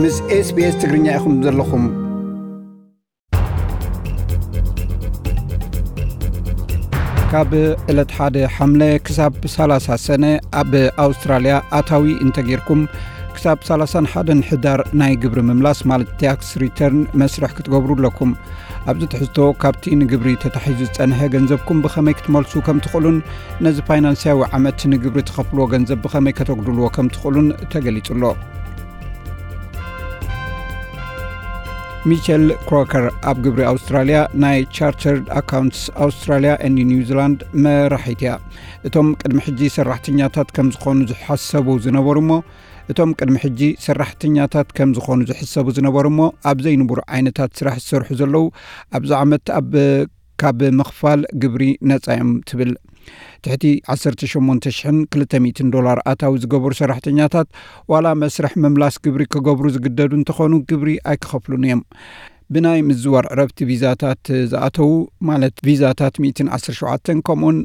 ምስ SBS ትግርኛ ኢኹም ዘለኹም። ካብ ዕለት ሓደ ሓምለ ክሳብ ሰላሳ ሰነ ኣብ ኣውስትራልያ ኣታዊ እንተጌርኩም፣ ክሳብ ሰላሳን ሓደን ሕዳር ናይ ግብሪ ምምላስ ማለት ታክስ ሪተርን መስርሕ ክትገብሩ ኣለኩም። ኣብዚ ትሕዝቶ፣ ካብቲ ንግብሪ ተታሒዙ ዝጸንሐ ገንዘብኩም ብኸመይ ክትመልሱ ከም ትኽእሉን ነዚ ፋይናንስያዊ ዓመት ንግብሪ ትኸፍልዎ ገንዘብ ብኸመይ ከተጉድልዎ ከም ትኽእሉን ተገሊጹ ኣሎ። ሚቸል ክሮከር ኣብ ግብሪ ኣውስትራልያ ናይ ቻርተርድ ኣካውንትስ ኣውስትራልያ ኤንድ ኒውዚላንድ መራሒት እያ። እቶም ቅድሚ ሕጂ ሰራሕተኛታት ከም ዝኾኑ ዝሓሰቡ ዝነበሩ እሞ እቶም ቅድሚ ሕጂ ሰራሕተኛታት ከም ዝኾኑ ዝሕሰቡ ዝነበሩ እሞ ኣብ ዘይንቡር ዓይነታት ስራሕ ዝሰርሑ ዘለዉ ኣብዚ ዓመት ኣብ ካብ ምኽፋል ግብሪ ነጻ እዮም ትብል። ትሕቲ ዓሰርተ ሸሞንተ ሽሕን ክልተ ሚእትን ዶላር ኣታዊ ዝገበሩ ሰራሕተኛታት ዋላ መስርሕ ምምላስ ግብሪ ክገብሩ ዝግደዱ እንተኾኑ ግብሪ ኣይክኸፍሉን እዮም። ብናይ ምዝዋር ዕረፍቲ ቪዛታት ዝኣተዉ ማለት ቪዛታት ሚእትን ዓሰርተ ሸውዓተን ከምኡን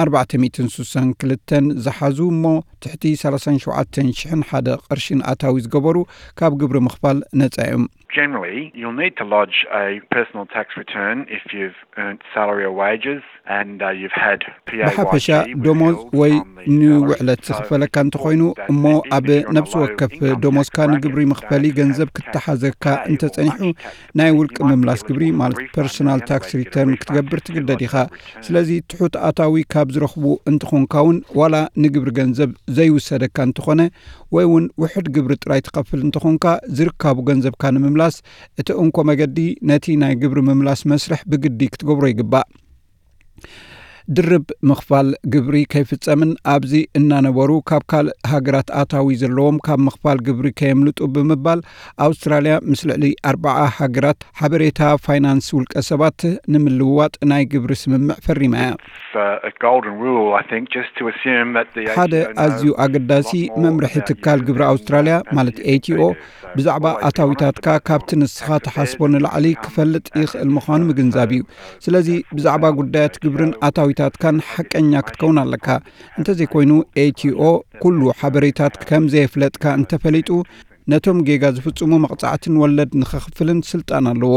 ኣርባዕተ ሚእትን ስሳን ክልተን ዝሓዙ እሞ ትሕቲ ሰላሳን ሸውዓተን ሽሕን ሓደ ቅርሽን ኣታዊ ዝገበሩ ካብ ግብሪ ምኽፋል ነጻ እዮም። Generally, you'll need to lodge a personal tax return if you've earned salary or wages and uh, you've had ብሓፈሻ PAYG ደሞዝ withheld ወይ from the ንውዕለት salary. ዝኽፈለካ እንተኾይኑ እሞ ኣብ ነብሲ ወከፍ ደሞዝካ ንግብሪ መኽፈሊ ገንዘብ ክተሓዘካ እንተጸኒሑ ናይ ውልቂ ምምላስ ግብሪ ማለት ፐርሶናል ታክስ ሪተርን ክትገብር ትግደድ ኢኻ። ስለዚ ትሑት ኣታዊ ካብ ዝረኽቡ እንተኾንካ እውን ዋላ ንግብሪ ገንዘብ ዘይውሰደካ እንተኾነ ወይ እውን ውሑድ ግብሪ ጥራይ ትኸፍል እንተኾንካ ዝርካቡ ገንዘብካ ንምምላስ እቲ እንኮ መገዲ ነቲ ናይ ግብሪ ምምላስ መስርሕ ብግዲ ክትገብሮ ይግባእ። ድርብ ምኽፋል ግብሪ ከይፍጸምን ኣብዚ እናነበሩ ካብ ካልእ ሃገራት ኣታዊ ዘለዎም ካብ ምኽፋል ግብሪ ከየምልጡ ብምባል ኣውስትራልያ ምስ ልዕሊ ኣርባዓ ሃገራት ሓበሬታ ፋይናንስ ውልቀ ሰባት ንምልውዋጥ ናይ ግብሪ ስምምዕ ፈሪማ እያ። It's a golden rule, I think, just to assume that the ሓደ ኣዝዩ ኣገዳሲ መምርሒ ትካል ግብሪ ኣውስትራልያ ማለት ኤቲኦ ብዛዕባ ኣታዊታትካ ካብቲ ንስኻ ትሓስቦ ንላዕሊ ክፈልጥ ይኽእል ምዃኑ ምግንዛብ እዩ። ስለዚ ብዛዕባ ጉዳያት ግብርን ኣታዊታትካን ሓቀኛ ክትከውን ኣለካ። እንተዘይኮይኑ ኤቲኦ ኩሉ ሓበሬታት ከም ዘየፍለጥካ እንተፈሊጡ ነቶም ጌጋ ዝፍጽሙ መቕጻዕትን ወለድ ንኸኽፍልን ስልጣን ኣለዎ።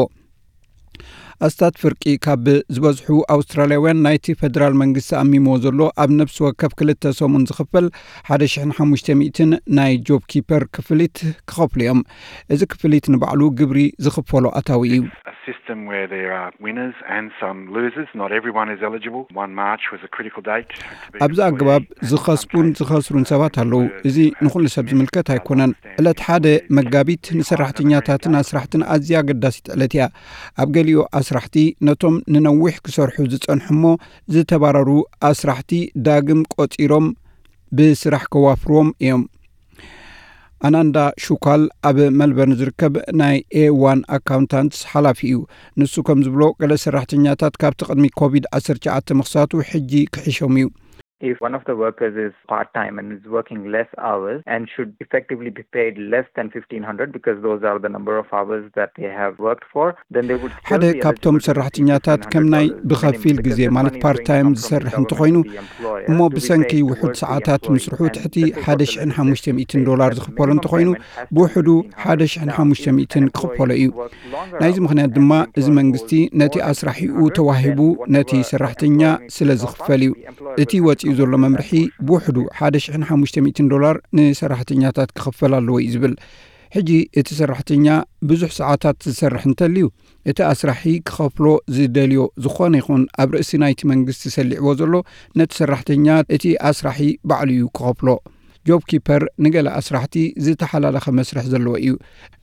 ኣስታት ፍርቂ ካብ ዝበዝሑ ኣውስትራልያውያን ናይቲ ፈደራል መንግስቲ ኣሚሞ ዘሎ ኣብ ነብሲ ወከፍ ክልተ ሰሙን ዝኽፈል ሓደ ሽሕን ሓሙሽተ ሚእትን ናይ ጆብ ኪፐር ክፍሊት ክኸፍሉ እዮም። እዚ ክፍሊት ንባዕሉ ግብሪ ዝኽፈሎ ኣታዊ እዩ። A system where there are winners and some losers. Not everyone is eligible. One March was a critical date. ኣብዚ ኣገባብ ዝኸስቡን ዝኸስሩን ሰባት ኣለዉ። እዚ ንኹሉ ሰብ ዝምልከት ኣይኮነን። ዕለት ሓደ መጋቢት ንሰራሕተኛታትን ኣስራሕትን ኣዝያ ኣገዳሲት ዕለት እያ። ኣብ ገሊኡ ኣስራሕቲ ነቶም ንነዊሕ ክሰርሑ ዝጸንሑ እሞ ዝተባረሩ ኣስራሕቲ ዳግም ቆጺሮም ብስራሕ ከዋፍርዎም እዮም። ኣናንዳ ሹካል ኣብ መልበርን ዝርከብ ናይ ኤ ዋን ኣካውንታንትስ ሓላፊ እዩ። ንሱ ከም ዝብሎ ገለ ሰራሕተኛታት ካብቲ ቅድሚ ኮቪድ ዓሰርተ ትሽዓተ ምኽሳቱ ሕጂ ክሕሾም እዩ። If one of the workers is part time and is working less hours and should effectively be paid less than fifteen hundred because those are the number of hours that they have worked for, then they would still ሓደ be ካብቶም eligible to receive ሰራሕተኛታት ከም ናይ fifteen hundred dollars ብኸፊል minimum, ግዜ because this ማለት money ፓርት will be ታይም come from the ዝሰርሕ government እንተኾይኑ to the employer እሞ to be ብሰንኪ paid ውሑድ towards the ሰዓታት employee. ምስርሑ And ትሕቲ the people ሓደ for the ሽሕን business ሓሙሽተ ሚእትን state ዶላር that ዝኽፈሎ minimum እንተኾይኑ payment has to be ብውሕዱ fifteen hundred. ሓደ ሽሕን ሓሙሽተ ሚእትን ክኽፈሎ እዩ። ናይዚ ምኽንያት ድማ እዚ መንግስቲ ነቲ ኣስራሒኡ ተዋሂቡ ነቲ ሰራሕተኛ ስለ ዝኽፈል እዩ። እቲ ወፂኡ ዘሎ መምርሒ ብውሕዱ ሓደ ሽሕን ሓሙሽተ ሚእትን ዶላር ንሰራሕተኛታት ክኽፈል ኣለዎ እዩ ዝብል። ሕጂ እቲ ሰራሕተኛ ብዙሕ ሰዓታት ዝሰርሕ እንተልዩ እቲ ኣስራሒ ክኸፍሎ ዝደልዮ ዝኾነ ይኹን ኣብ ርእሲ ናይቲ መንግስቲ ሰሊዕዎ ዘሎ ነቲ ሰራሕተኛ እቲ ኣስራሒ ባዕሉ እዩ ክኸፍሎ። ጆብ ኪፐር ንገለ ኣስራሕቲ ዝተሓላለኸ መስርሕ ዘለዎ እዩ።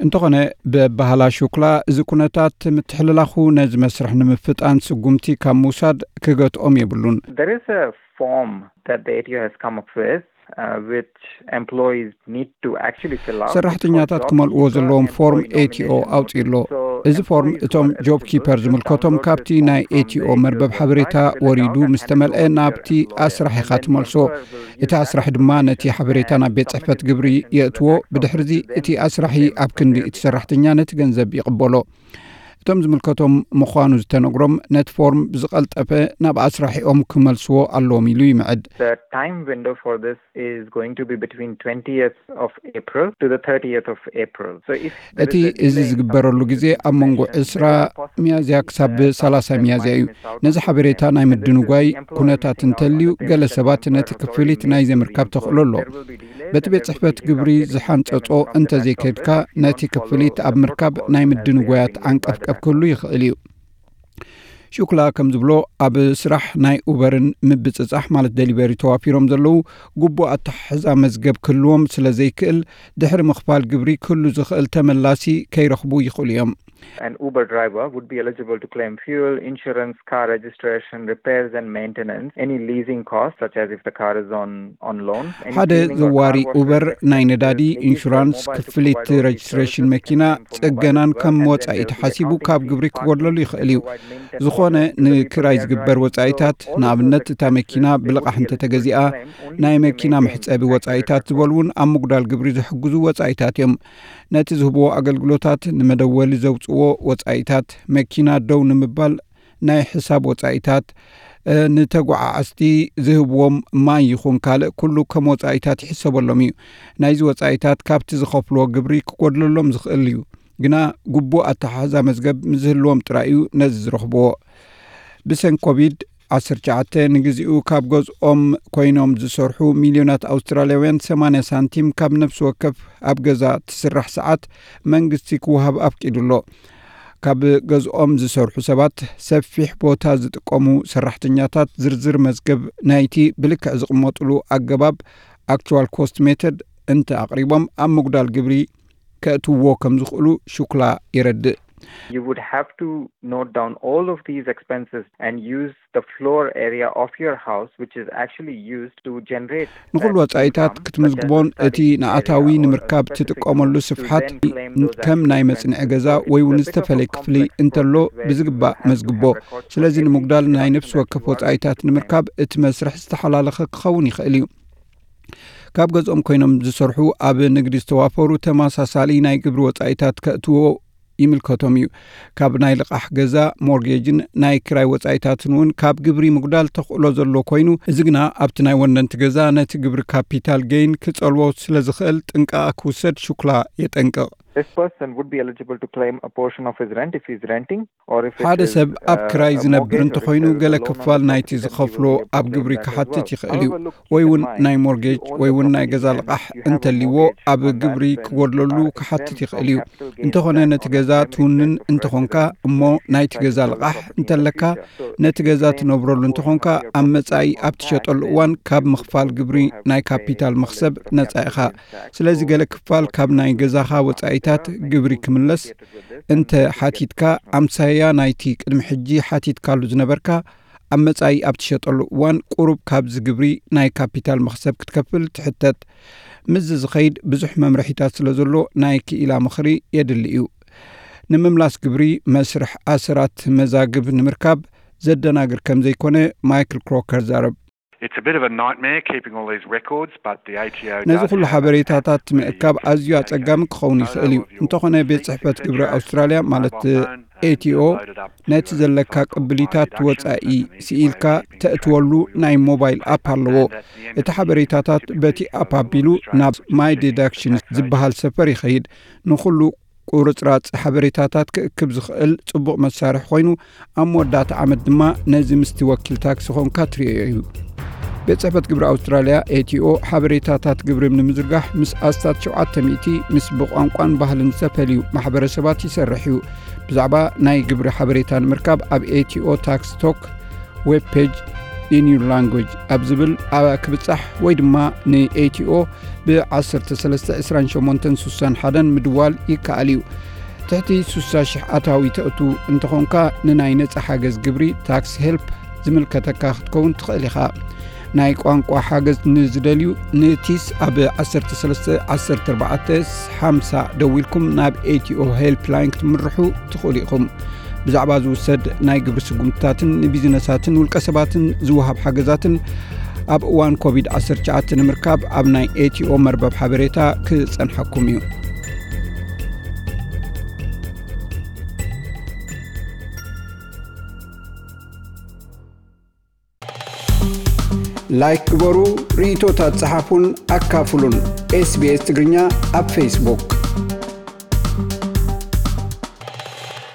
እንተኾነ ብኣበሃህላ ሹክላ እዚ ኩነታት ምትሕልላኹ ነዚ መስርሕ ንምፍጣን ስጉምቲ ካብ ምውሳድ ክገትኦም የብሉን። There is a form that the A T O has come up with, uh, which employees need to actually fill out. It's called ሰራሕተኛታት job ክመልእዎ keeper ዘለዎም ፎርም employee ኤቲኦ nomination ኣውፅኡ ኣሎ። form. So እዚ ፎርም employees who እቶም are ጆብ eligible ኪፐር to ዝምልከቶም download ካብቲ this form ናይ from ኤቲኦ the መርበብ government ሓበሬታ website, fill it ወሪዱ out, and ምስ then ተመልአ go to a ናብቲ lawyer. ኣስራሒኻ Then the ትመልሶ። lawyer will use እቲ that ኣስራሒ ድማ ነቲ ሓበሬታ ናብ ቤት ጽሕፈት ግብሪ የእትዎ። ብድሕርዚ እቲ ኣስራሒ ኣብ ክንዲ እቲ ሰራሕተኛ ነቲ ገንዘብ ይቕበሎ። እቶም ዝምልከቶም ምዃኑ ዝተነግሮም ነቲ ፎርም ብዝቐልጠፈ ናብ ኣስራሒኦም ክመልስዎ ኣለዎም ኢሉ ይምዕድ። The time window for this is going to be between twentieth of April to the thirtieth of April. So if there እቲ is a እዚ delay in ዝግበረሉ communication, ግዜ ኣብ መንጎ information, ዕስራ there is a possibility ሚያዝያ ክሳብ that ሰላሳ something ሚያዝያ might እዩ። miss out ነዚ on the ሓበሬታ information. ናይ And this is ምድንጓይ the employer's ኩነታት duty now, እንተልዩ or the payment ገለ and ሰባት employer ነቲ authority ክፍሊት will ናይ be ዘይምርካብ employed. ተኽእሎ ኣሎ። There will be delay, በቲ but ቤት there will ጽሕፈት be ግብሪ delay in ዝሓንጸጾ communication from the እንተዘይከድካ customer. They will ነቲ not follow ክፍሊት ኣብ the ምርካብ protocol ናይ as they ምድንጓያት will be ዓንቀፍቀፍ ክህሉ ይኽእል እዩ። ሹክላ ከም ዝብሎ ኣብ ስራሕ ናይ ኡበርን ምብጽጻሕ ማለት ደሊቨሪ ተዋፊሮም ዘለዉ ግቡእ ኣተሓሕዛ መዝገብ ክህልዎም ስለ ዘይክእል ድሕሪ ምኽፋል ግብሪ ክህሉ ዝኽእል ተመላሲ ከይረኽቡ ይኽእሉ እዮም። An Uber driver would be eligible to claim fuel, insurance, car registration, repairs and maintenance, any leasing costs such as if the car is on on loan. Any ሓደ cleaning or ዘዋሪ car wash ኡበር request ናይ may be ነዳዲ deducted. They use their mobile to ክፍሊት provide these ረጅስትሬሽን services መኪና and claim for mobile ጽገናን as well, ከም and then ወጻኢ there will be ተሓሲቡ accounting ካብ fees, ግብሪ parking ክጎድለሉ fees, ይኽእል እዩ። provide maintenance ዝኾነ service to the ንክራይ vehicle they are ዝግበር driving. ወጻኢታት So all of ንኣብነት those እታ መኪና expenses they would ብልቓሕ be እንተተገዚኣ eligible to claim only ናይ if they መኪና make መሕጸቢ this tax ወጻኢታት return. ዝበሉ እውን ኣብ ምጉዳል ግብሪ ዝሕግዙ ወጻኢታት እዮም። ነቲ ዝህብዎ ኣገልግሎታት፣ ንመደወሊ ዘውጽዎ ወጻኢታት፣ መኪና ደው ንምባል ናይ ሕሳብ ወጻኢታት፣ እ፣ ንተጓዓዓዝቲ ዝህብዎም ማይ ይኹን ካልእ ኩሉ ከም ወጻኢታት ይሕሰበሎም እዩ። ናይዚ ወጻኢታት ካብቲ ዝኸፍልዎ ግብሪ ክጎድለሎም ዝኽእል እዩ። ግና ግቡእ ኣተሓሕዛ መዝገብ ምስ ዝህልዎም ጥራይ እዩ ነዚ ዝረኽብዎ። ብሰንኪ ኮቪድ ዓሰርተ ትሽዓተ ንግዚኡ ካብ ገዝኦም ኮይኖም ዝሰርሑ ሚልዮናት ኣውስትራልያውያን ሰማንያ ሳንቲም ካብ ነፍሲ ወከፍ ኣብ ገዛ ትስራሕ ሰዓት መንግስቲ ክወሃብ ኣፍቂዱ ኣሎ። ካብ ገዝኦም ዝሰርሑ ሰባት ሰፊሕ ቦታ ዝጥቀሙ ሰራሕተኛታት ዝርዝር መዝገብ ናይቲ ብልክዕ ዝቕመጥሉ ኣገባብ ኣክቹዋል ኮስት ሜተድ እንተ ኣቕሪቦም ኣብ ምጉዳል ግብሪ ከእትውዎ ከም ዝኽእሉ ሹክላ የረድእ። You would have to note down all of these expenses and use the floor area of your house, which is actually used to generate ንኹሉ that ወጻኢታት income, ክትምዝግቦን such as the እቲ study ንኣታዊ area or a ንምርካብ specific ትጥቀመሉ room to ስፍሓት then claim those as ከም ናይ expenses. መጽንዒ ገዛ So it's ወይ እውን a bit of a ዝተፈለየ ክፍሊ complex እንተሎ process where ብዝግባእ you would have to መዝግቦ። have records for ስለዚ ንምጉዳል everything ናይ that ነፍሲ you ወከፍ actually ወጻኢታት spend. ንምርካብ እቲ መስርሕ ዝተሓላለኸ ክኸውን ይኽእል እዩ። ካብ ገዝኦም ኮይኖም ዝሰርሑ ኣብ ንግዲ ዝተዋፈሩ ተመሳሳሊ ናይ ግብሪ ወጻኢታት ከእትዎ ይምልከቶም እዩ። ካብ ናይ ልቓሕ ገዛ ሞርጌጅን ናይ ክራይ ወጻኢታትን እውን ካብ ግብሪ ምጉዳል ተኽእሎ ዘሎ ኮይኑ፣ እዚ ግና ኣብቲ ናይ ወነንቲ ገዛ ነቲ ግብሪ ካፒታል ጌይን ክጸልዎ ስለ ዝኽእል ጥንቃቐ ክውሰድ ሹክላ የጠንቅቕ። This person would be eligible to claim a portion of his rent if he's renting, or if it ሓደ is, ሰብ ኣብ uh, ክራይ a ዝነብር mortgage or if እንተኾይኑ there is a ገለ loan on ክፋል the ናይቲ property, then he ዝኸፍሎ will be ኣብ ግብሪ applying for that as ክሓትት well. ይኽእል እዩ። However, look, ወይ keep እውን in mind, ናይ if ሞርጌጅ you own ወይ the እውን ናይ property ገዛ and ልቓሕ if you have a እንተልይዎ mortgage ኣብ on that ግብሪ rent, ክጎድለሉ uh, ክሓትት expense ይኽእል እዩ። from capital gains እንተኾነ tax ነቲ on ገዛ that makes ትውንን sense to እንተኾንካ first እሞ issue ናይቲ by ገዛ the owner of ልቓሕ the property in the እንተለካ future. So ነቲ if you ገዛ claim ትነብረሉ a portion እንተኾንካ of your ኣብ property መጻኢ on ኣብ that ትሸጠሉ rent, እዋን you ካብ have to ምኽፋል pay ግብሪ on the ናይ property ካፒታል tax መኽሰብ and ነጻ capital ኢኻ። gains tax ስለዚ for ገለ ክፋል what ካብ you ናይ own ገዛኻ as a ወጻኢታት master, like ግብሪ you will be ክምለስ obligated with this እንተ unless you get ሓቲትካ permission. ኣምሳያ ናይቲ ቅድሚ ሕጂ ሓቲትካሉ ዝነበርካ ኣብ መጻኢ ኣብ ትሸጠሉ እዋን ቁሩብ ካብዚ ግብሪ ናይ ካፒታል መኽሰብ ክትከፍል ትሕተት። ምስዚ ዝኸይድ ብዙሕ መምርሒታት ስለ ዘሎ ናይ ክኢላ ምኽሪ የድሊ እዩ። ንምምላስ ግብሪ መስርሕ ኣሰራት መዛግብ ንምርካብ ዘደናግር ከም ዘይኮነ ማይክል ክሮከር ዛረብ። It's a bit of a nightmare keeping all these records, but the A T O ነዚ does ኩሉ have a ሓበሬታታት pretty ምእካብ ኣዝዩ complicated ኣጸጋሚ ክኸውን ይኽእል እዩ። photo of your እንተኾነ ቤት ጽሕፈት expenditure, ግብሪ ኣውስትራልያ ማለት mobile phone, ኤ ቲ ኦ and load it up ነቲ to ዘለካ stock ቅብሊታት deductions ወጻኢ and the ስኢልካ deductions keeping track ተእትወሉ of all your ናይ ሞባይል ኣፕ ኣለዎ። and at the end እቲ of the year, ሓበሬታታት typically በቲ you ኣፕ will ኣቢሉ extract ናብ which is ማይ your tax ዲዳክሽንስ code. ዝበሃል ሰፈር ይኸይድ። ንኹሉ ቁርጽራጽ ሓበሬታታት ክእክብ ዝኽእል ጽቡቕ መሳርሒ ኮይኑ፣ ኣብ መወዳእታ ዓመት ድማ ነዚ ምስቲ ወኪል ታክሲ ኾንካ ትርእዮ እዩ። ቤት ጽሕፈት ግብሪ ኣውስትራልያ ኤ ቲ ኦ ሓበሬታታት ግብሪ ንምዝርጋሕ ምስ ኣስታት ሸውዓተ ሚእቲ ምስ ብቋንቋን ባህልን ዝተፈልዩ ማሕበረሰባት ይሰርሕ እዩ። ብዛዕባ ናይ ግብሪ ሓበሬታ ንምርካብ ኣብ ኤ ቲ ኦ ታክስ ቶክ ዌብ ፔጅ ኢን ዩር ላንጉጅ ኣብ ዝብል ኣብ ክብጻሕ ወይ ድማ ን ኤ ቲ ኦ ብ ዓሰርተ ሰለስተ ዕስራን ሸሞንተን ስሳን ሓደን ምድዋል ይከኣል እዩ። ትሕቲ ስሳ ሽሕ ኣታዊ ተእቱ እንተኾንካ ንናይ ነጻ ሓገዝ ግብሪ ታክስ ሄልፕ ዝምልከተካ ክትከውን ትኽእል ኢኻ። ናይ ቋንቋ ሓገዝ ንዝደልዩ ንቲስ ኣብ ዓሰርተ ሰለስተ ዓሰርተ ኣርባዕተ ሓምሳ ደዊልኩም ናብ ኤ ቲ ኦ ሄልፕ ላይን ክትምርሑ ትኽእሉ ኢኹም። ብዛዕባ ዝውሰድ ናይ ግብሪ ስጉምትታትን ንቢዝነሳትን ውልቀ ሰባትን ዝወሃብ ሓገዛትን ኣብ እዋን ኮቪድ ዓሰርተ ትሽዓተ ንምርካብ ኣብ ናይ ኤ ቲ ኦ መርበብ ሓበሬታ ክጸንሓኩም እዩ። ላይክ ግበሩ፣ ርእይቶታት ጸሓፉን ኣካፍሉን። SBS ትግርኛ ኣብ ፌስቡክ።